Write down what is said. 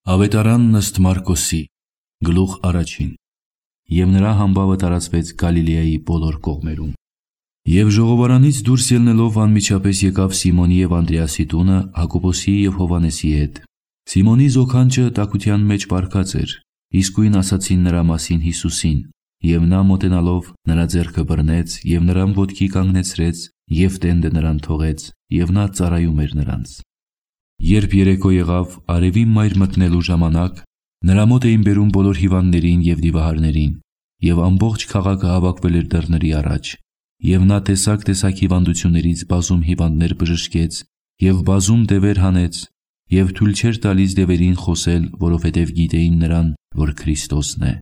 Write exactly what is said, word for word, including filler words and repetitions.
Ավետարանն ըստ Մարկոսի, գլուխ առաջին։ Եվ նրա համբավը տարածվեց Գալիլեայի բոլոր կողմերում։ Եվ ժողովարանից դուրս ելնելով անմիջապես եկավ Սիմոնի և Անդրեասի տունը Հակոբոսի և Հովհաննեսի հետ։ Սիմոնի զոքանչը տաքության մեջ պառկած էր, իսկույն ասացին նրա մասին Հիսուսին, և նա մոտենալով նրա ձեռքը բռնեց և նրան ոտքի կանգնեցրեց և տենդը նրան թողեց, և նա ծառայում էր նրանց։ Երբ երեկո եղավ արևի մայր մտնելու ժամանակ, նրա մոտ էին բերում բոլոր հիվանդներին և դիվահարներին, և ամբողջ քաղաքը հավաքվել էր դռների առաջ, և նա տեսակ-տեսակ հիվանդություններից բազում հիվանդներ բժշկեց և բազում դևեր հանեց, և թույլ չէր տալիս դևերին խոսել, որովհետև գիտեին նրան, որ Քրիստոսն է։